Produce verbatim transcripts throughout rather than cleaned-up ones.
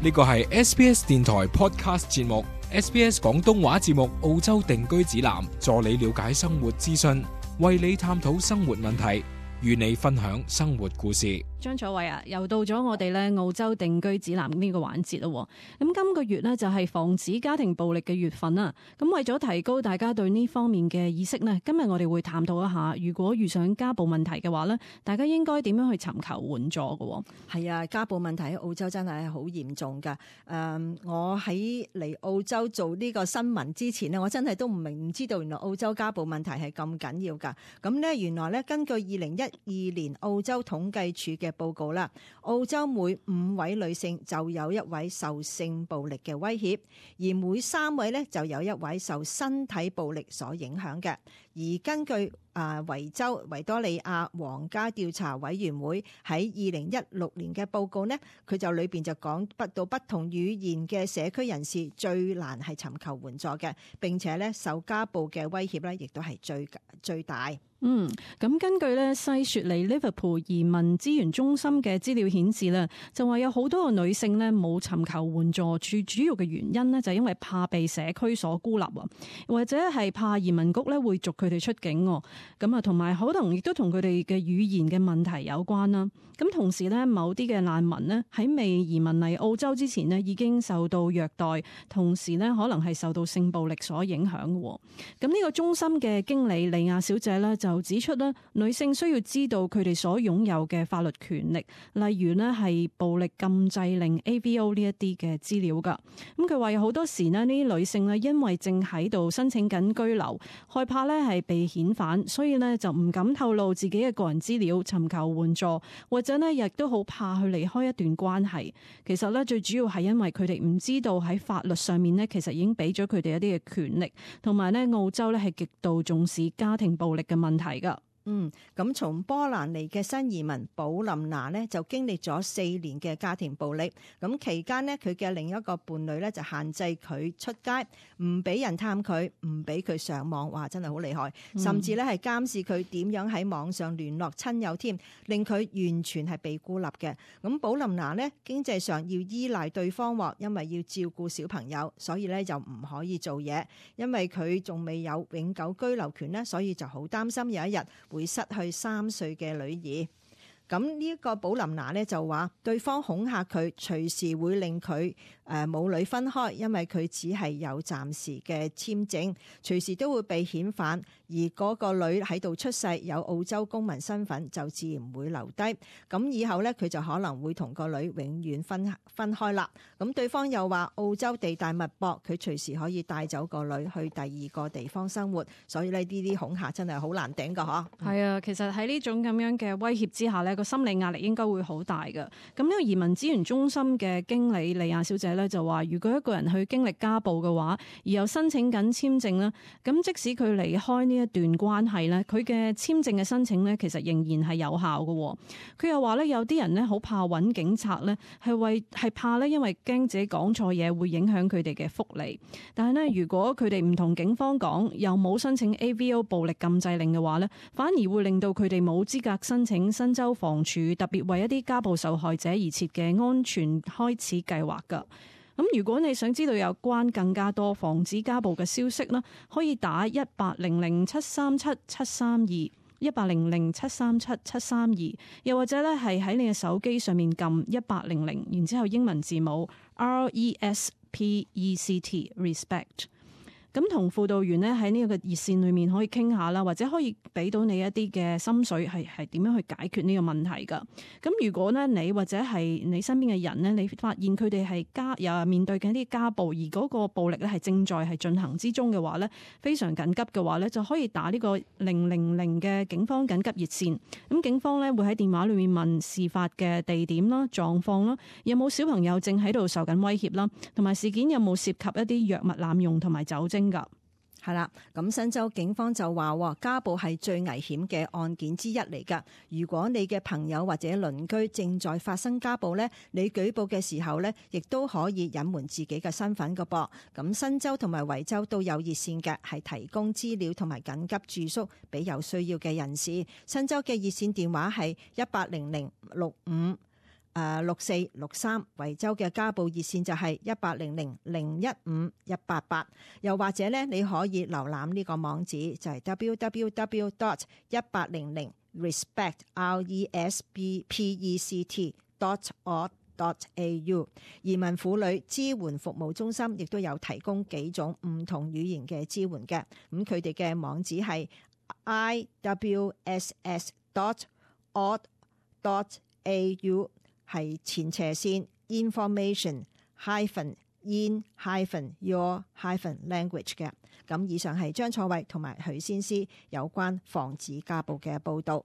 呢個係 S B S 電台 Podcast 節目 S B S 廣東話節目澳洲定居指南，助你了解生活資訊，為你探討生活問題，與你分享生活故事。張楚偉啊，又到咗我哋咧澳洲定居指南呢個環節咯。咁今個月呢，就係防止家庭暴力嘅月份啦。咁為咗提高大家對呢方面嘅意識呢，今日我哋會探討一下，如果遇上家暴問題嘅話呢，大家應該點樣去尋求援助嘅？係啊，家暴問題喺澳洲真係好嚴重噶。誒、嗯，我喺嚟澳洲做呢個新聞之前呢，我真係都唔明唔知道原來澳洲家暴問題係咁緊要噶。咁呢，原來呢，根據二零一二年澳洲統計處嘅報告啦，澳洲每五位女性就有一位受性暴力嘅威脅，而每三位呢就有一位受身體暴力所影響嘅。而根據啊維州維多利亞皇家調查委員會喺二零一六年嘅報告呢，佢就裏邊就講不到不同語言嘅社區人士最難係尋求援助嘅，並且咧受家暴嘅威脅咧，亦都係最最大。嗯，咁根據咧西雪梨 Liverpool 移民資源中心嘅資料顯示咧，就話有好多個女性咧冇尋求援助，最主要嘅原因呢，就係因為怕被社區所孤立啊，或者係怕移民局咧會逐佢哋出境。咁啊，同埋可能亦都同佢哋嘅語言嘅問題有關啦。咁同時咧，某啲嘅難民呢，喺未移民嚟澳洲之前呢，已經受到虐待，同時呢，可能係受到性暴力所影響嘅。咁呢個中心嘅經理莉亞小姐呢，就指出咧，女性需要知道佢哋所擁有嘅法律權力，例如呢係暴力禁制令 A V O 呢一啲嘅資料噶。咁佢話有好多時呢，呢啲女性呢，因為正喺度申請緊居留，害怕呢係被遣返，所以呢就唔敢透露自己嘅個人資料，尋求援助，或者呢亦都好怕去離開一段關係。其實呢，最主要係因為佢哋唔知道喺法律上面呢，其實已經俾咗佢哋一啲嘅權力，同埋呢澳洲呢係極度重視家庭暴力嘅問題噶。嗯，咁從波蘭嚟嘅新移民寶琳娜呢，就經歷咗四年嘅家庭暴力。咁期間呢，佢嘅另一個伴侶呢，就限制佢出街，唔俾人探佢，唔俾佢上網。哇，真係好厲害！甚至呢係監視佢點樣喺網上聯絡親友添，令佢完全係被孤立嘅。咁寶琳娜呢，經濟上要依賴對方喎，因為要照顧小朋友，所以呢就唔可以做嘢。因為佢仲未有永久居留權呢，所以就好擔心有一日會失去三歲嘅女兒。咁呢一個寶琳娜呢就話，對方恐嚇佢，隨時會令佢誒母女分開，因為佢只係有暫時嘅簽證，隨時都會被遣返。而嗰個女喺度出世，有澳洲公民身份，就自然會留低。咁以後呢，佢就可能會同個女永遠分分開啦。咁對方又話，澳洲地大物博，佢隨時可以帶走個女去第二個地方生活。所以呢，呢啲恐嚇真係好難頂噶，嗬。係啊，其實喺呢種咁樣嘅威脅之下呢，個心理壓力應該會好大㗎。咁呢個移民資源中心嘅經理莉亞小姐呢，就話，如果一個人去經歷家暴嘅話，而又申請緊簽證呢，咁即使佢離開呢一段關係呢，佢嘅簽證嘅申請呢，其實仍然係有效嘅。佢又話呢，有啲人呢，好怕揾警察呢，係為係怕呢，因為驚自己講錯嘢會影響佢哋嘅福利。但係呢，如果佢哋唔同警方講，又冇申請 A V O 暴力禁制令嘅話呢，反而會令到佢哋冇資格申請新州房署特別為一啲家暴受害者而設嘅安全開始計劃㗎。咁如果你想知道有關更加多防止家暴嘅消息呢，可以打一八零零七三七七三二一八零零七三七七三二，又或者咧係喺你嘅手機上面撳一八零零，然之後英文字母 R E S P E C T Respect。咁同輔導員呢喺呢個熱線裏面可以傾下啦，或者可以俾到你一啲嘅心水，係係點樣去解決呢個問題噶。咁如果呢你或者係你身邊嘅人呢，你發現佢哋係家又面對緊啲家暴，而嗰個暴力咧係正在係進行之中嘅話呢，非常緊急嘅話呢，就可以打呢個零零零嘅警方緊急熱線。咁警方呢會喺電話裏面問事發嘅地點啦、狀況啦，有冇小朋友正喺度受緊威脅啦，同埋事件有冇涉及一啲藥物濫用同埋酒精。係啦，咁新州警方就話家暴係最危險嘅案件之一嚟㗎。如果你嘅朋友或者鄰居正在發生家暴呢，你舉報嘅時候呢，亦都可以隱瞞自己嘅身份㗎噃。咁新州同埋維州都有熱線嘅，係提供資料同埋緊急住宿俾有需要嘅人士。新州嘅熱線電話係一八零零六五。誒六四六三，維州嘅家暴熱線就係一八零零零一五一八八，又或者咧你可以瀏覽呢個網址就係 w w w dot 一八零零 respect r e s p p e c t dot org dot a u。 移民婦女支援服務中心亦都有提供幾種唔同語言嘅支援嘅，咁佢哋嘅網址係 i w s s dot org dot a u， 係前斜線 information hyphen in hyphen your hyphen language 嘅。咁以上係張楚慧同埋許先思有關防止家暴嘅報導。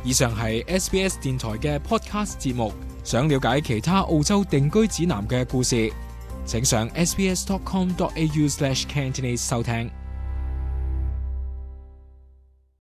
以上係 S B S 電台嘅 podcast 節目。想了解其他澳洲定居指南嘅故事，請上 s b s dot com dot a u slash cantonese 收聽。